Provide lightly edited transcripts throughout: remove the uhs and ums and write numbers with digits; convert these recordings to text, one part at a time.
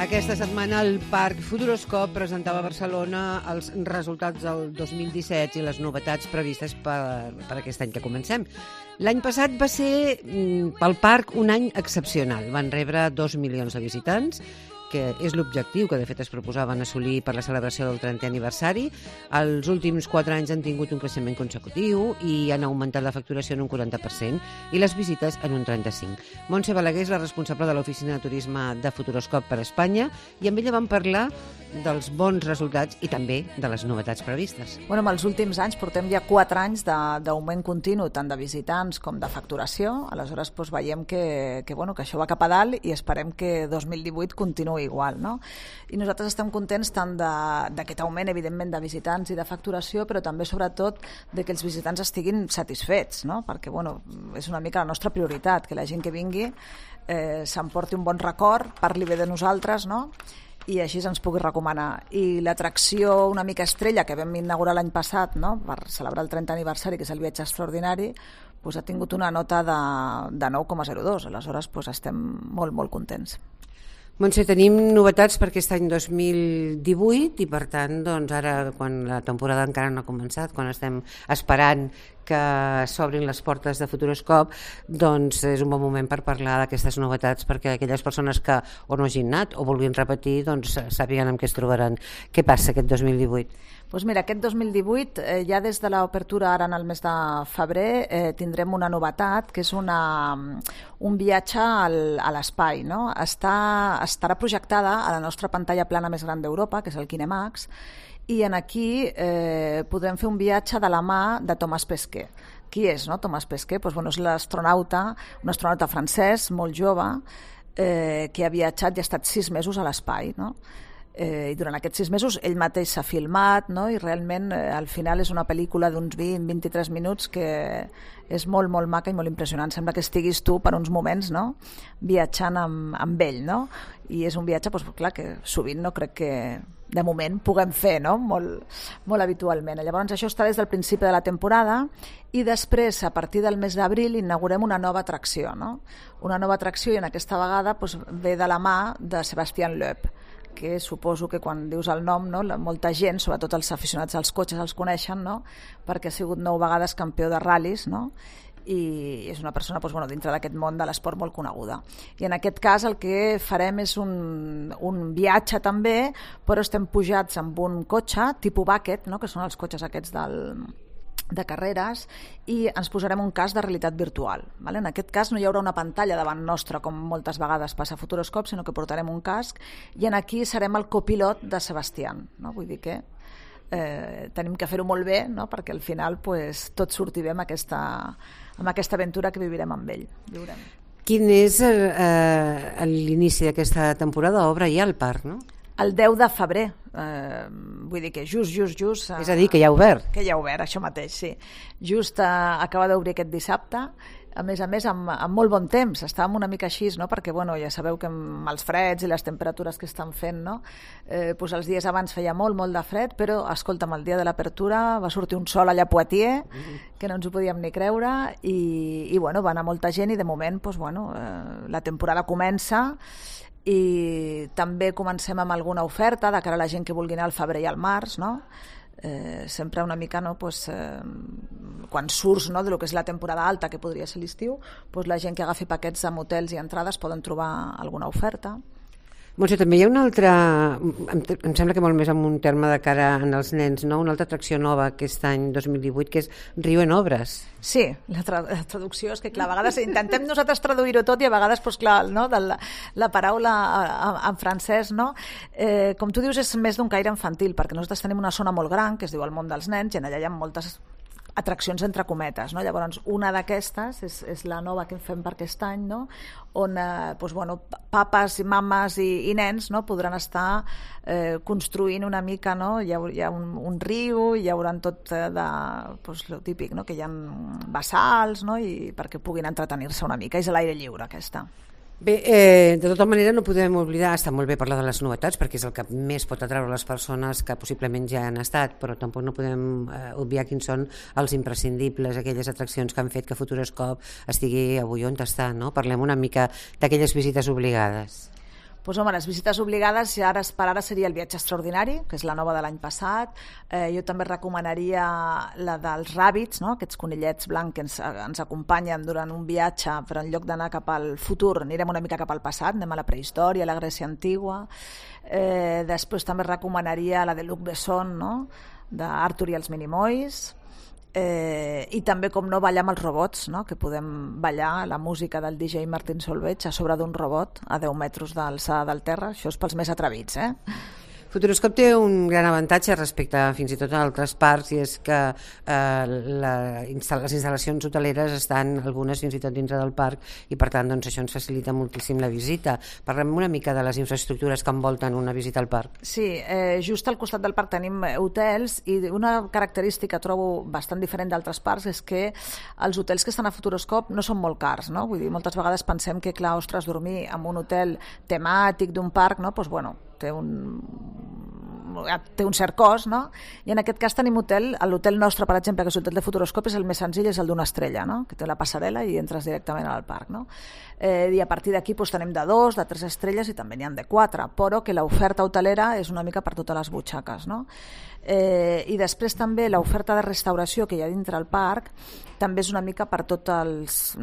Aquesta setmana el Parc Futuroscop presentava a Barcelona els resultats del 2017 i les novetats previstes per aquest any que comencem. L'any passat va ser pel parc un any excepcional. Van rebre 2 milions de visitants, que és l'objectiu que de fet es proposaven assolir per la celebració del 30è aniversari. Els últims 4 anys han tingut un creixement consecutiu i han augmentat la facturació en un 40% i les visites en un 35%. Montse Balaguer és la responsable de l'Oficina de Turisme de Futuroscop per Espanya i amb ella vam parlar dels bons resultats i també de les novetats previstes. En els últims anys portem ja 4 anys d'augment continu, tant de visitants com de facturació. Aleshores veiem que això va cap a dalt i esperem que 2018 continuï igual, no? I nosaltres estem contents tant d'aquest augment, evidentment, de visitants i de facturació, però també, sobretot, de que els visitants estiguin satisfets, no? Perquè, és una mica la nostra prioritat, que la gent que vingui s'emporti un bon record, parli bé de nosaltres, no? I així ens pugui recomanar. I l'atracció una mica estrella que vam inaugurar l'any passat, no? Per celebrar el 30è aniversari, que és el viatge extraordinari, ha tingut una nota de 9,02. Aleshores estem molt, molt contents. Montse, tenim novetats per aquest any 2018 i per tant, ara quan la temporada encara no ha començat, quan estem esperant que s'obrin les portes de Futuroscop, és un bon moment per parlar d'aquestes novetats perquè aquelles persones que o no hagin anat o vulguin repetir sàpiguen amb què es trobaran. Què passa aquest 2018? Mira, aquest 2018, ja des de l'obertura ara en el mes de febrer, tindrem una novetat, que és un viatge a l'espai, no? Estarà projectada a la nostra pantalla plana més gran d'Europa, que és el Kinemax, i aquí podrem fer un viatge de la mà de Thomas Pesquet. Qui és, no? Thomas Pesquet? És l'astronauta, un astronauta francès, molt jove, que ha viatjat i ha estat 6 mesos a l'espai, no? I durant aquests 6 mesos ell mateix s'ha filmat, no? I realment al final és una pel·lícula d'uns 20-23 minuts que és molt, molt maca i molt impressionant. Sembla que estiguis tu per uns moments, no? Viatjant amb ell, no? I és un viatge, clar, que sovint no crec que de moment puguem fer, no? Molt, molt habitualment. Llavors això està des del principi de la temporada i després, a partir del mes d'abril, inaugurem una nova atracció, no? Una nova atracció i en aquesta vegada ve de la mà de Sébastien Loeb, que suposo que quan dius el nom, no, molta gent, sobretot els aficionats als cotxes, els coneixen, no? Perquè ha sigut 9 vegades campió de ral·lis, no? I és una persona dintre d'aquest món de l'esport molt coneguda. I en aquest cas el que farem és un viatge també, però estem pujats amb un cotxe tipus bucket, no? Que són els cotxes aquests de carreres, i ens posarem un casc de realitat virtual. En aquest cas no hi haurà una pantalla davant nostra, com moltes vegades passa a Futuroscop, sinó que portarem un casc i aquí serem el copilot de Sebastián. Vull dir que tenim que fer-ho molt bé, no? Perquè al final tot surti bé amb aquesta aventura que vivirem amb ell. Quin és l'inici d'aquesta temporada? Obre ja el parc, no? El 10 de febrer, vull dir que just... És a dir, que ja ha obert. Que ja ha obert, això mateix, sí. Just acaba d'obrir aquest dissabte, a més, amb molt bon temps. Estàvem una mica així, no? Perquè ja sabeu que amb els freds i les temperatures que estan fent, no? Els dies abans feia molt de fred, però, escolta'm, el dia de l'apertura va sortir un sol allà a Poitiers, que no ens ho podíem ni creure, i va anar molta gent i de moment, la temporada comença i també comencem amb alguna oferta de cara a la gent que vulgui anar al febrer i al març, no? Sempre una mica, no? Quan surts, no? De lo que és la temporada alta, que podria ser l'estiu, la gent que agafi paquets amb hotels i entrades poden trobar alguna oferta. Montse, també hi ha una altra, em sembla que molt més amb un terme de cara als nens, no? Una altra atracció nova aquest any 2018, que és Riu en Obres. Sí, la traducció és que, clar, a vegades intentem nosaltres traduir-ho tot i a vegades, clar, no? La paraula en francès, no? Com tu dius, és més d'un caire infantil, perquè nosaltres tenim una zona molt gran, que es diu el món dels nens, i allà hi ha moltes atraccions entre cometes, no? Llavors una d'aquestes és la nova que fem per aquest any, no? On papes, mames i nens, no? Podran estar construint una mica, no? Hi ha un riu, hi haurà tot lo típic, no? Que hi ha bassals, no? I perquè puguin entretenir-se una mica, és a l'aire lliure aquesta. Bé, de tota manera no podem oblidar, està molt bé parlar de les novetats perquè és el que més pot atraure les persones que possiblement ja han estat, però tampoc no podem obviar quins són els imprescindibles, aquelles atraccions que han fet que Futuroscop estigui avui on està, no? Parlem una mica d'aquelles visites obligades. Doncs home, les visites obligades per ara seria el Viatge Extraordinari, que és la nova de l'any passat. Jo també recomanaria la dels ràbits, no? Aquests conillets blancs que ens acompanyen durant un viatge, però en lloc d'anar cap al futur anirem una mica cap al passat, anem a la prehistòria, a la Grècia antigua. Després també recomanaria la de Luc Besson, no? d'Arthur i els Minimoys. I també, com no, ballar amb els robots, no? Que podem ballar la música del DJ Martin Solveig a sobre d'un robot a 10 metres d'alçada del terra. Això és pels més atrevits, Futuroscope té un gran avantatge respecte fins i tot a altres parcs, i és que les instal·lacions hoteleres estan algunes fins i tot dintre del parc, i per tant doncs, això ens facilita moltíssim la visita. Parlem una mica de les infraestructures que envolten una visita al parc. Sí, just al costat del parc tenim hotels, i una característica que trobo bastant diferent d'altres parcs és que els hotels que estan a Futuroscope no són molt cars, no? Vull dir, moltes vegades pensem que, clar, ostres, dormir en un hotel temàtic d'un parc, no? Doncs, bueno, té un cert cost, no? I en aquest cas tenim l'hotel nostre, per exemple, que és l'hotel de Futuroscope, és el més senzill, és el d'una estrella, no? Que té la passarel·la i entres directament al parc, no? I a partir d'aquí doncs, tenim de 2, de 3 estrelles i també n'hi ha de 4, però que l'oferta hotelera és una mica per totes les butxaques, no? I després també l'oferta de restauració que hi ha dintre el parc també és una mica per per totes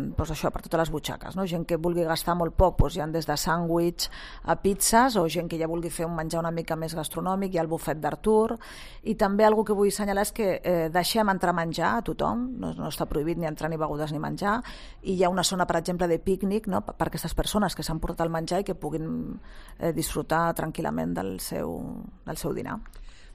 les butxaques, no? Gent que vulgui gastar molt poc, doncs hi ha des de sàndwich a pizzas, o gent que ja vulgui fer un menjar una mica més gastronòmic, hi ha el bufet d'Artur. I també algo que vull assenyalar és que deixem entrar menjar a tothom, no està prohibit ni entrar ni begudes ni menjar, i hi ha una zona, per exemple, de pícnic, no? Per aquestes persones que s'han portat el menjar i que puguin disfrutar tranquil·lament del seu dinar.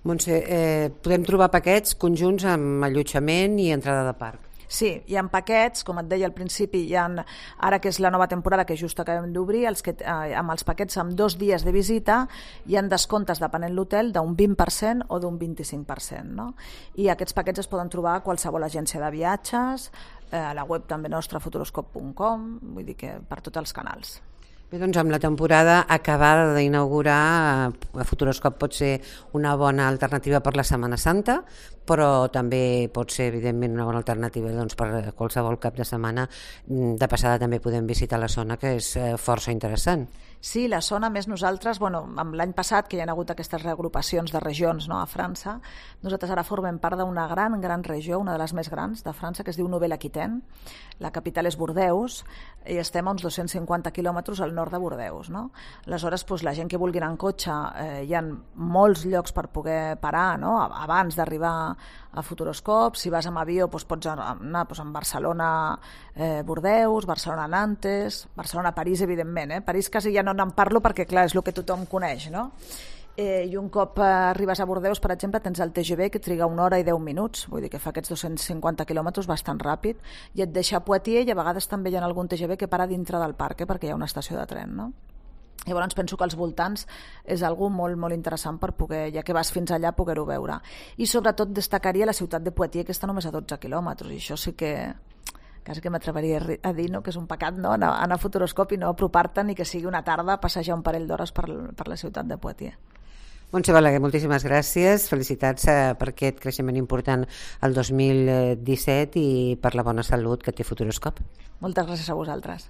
Montse, podem trobar paquets conjunts amb allotjament i entrada de parc? Sí, hi ha paquets, com et deia al principi, ara que és la nova temporada que just acabem d'obrir, amb els paquets amb 2 dies de visita hi ha descomptes, depenent l'hotel, d'un 20% o d'un 25%, no? I aquests paquets es poden trobar a qualsevol agència de viatges, a la web també nostra, futuroscope.com, vull dir que per tots els canals. Bé, doncs amb la temporada acabada d'inaugurar, Futuroscope pot ser una bona alternativa per la Setmana Santa, però també pot ser, evidentment, una bona alternativa doncs, per qualsevol cap de setmana. De passada també podem visitar la zona, que és força interessant. Sí, la zona, més nosaltres, amb l'any passat, que hi ha hagut aquestes reagrupacions de regions, no, a França, nosaltres ara formem part d'una gran regió, una de les més grans de França, que es diu Nouvelle-Aquitaine. La capital és Bordeus, i estem a uns 250 quilòmetres al nord de Bordeus, no? Aleshores, doncs, la gent que vulgui anar en cotxe, hi ha molts llocs per poder parar, no? Abans d'arribar a Futuroscope. Si vas amb avió, doncs pots anar a Barcelona, Bordeus, Barcelona, Nantes, Barcelona, París, evidentment. París quasi ja no en parlo perquè, clar, és el que tothom coneix, no? I un cop arribes a Bordeus, per exemple, tens el TGV que triga 1 hora i 10 minuts, vull dir que fa aquests 250 quilòmetres bastant ràpid, i et deixa a Poitiers, i a vegades també hi ha algun TGV que para dintre del parc, perquè hi ha una estació de tren, no? Llavors penso que als voltants és algo molt, molt interessant per poder, ja que vas fins allà, poder-ho veure. I sobretot destacaria la ciutat de Poitiers, que està només a 12 quilòmetres, i això sí que quasi que m'atreveria a dir, no? Que és un pecat, no? Anar a Futuroscope i no apropar-te, ni que sigui una tarda passejar un parell d'hores per la ciutat de Poitiers. Montse Balaguer, moltíssimes gràcies, felicitats per aquest creixement important el 2017 i per la bona salut que té Futuroscope. Moltes gràcies a vosaltres.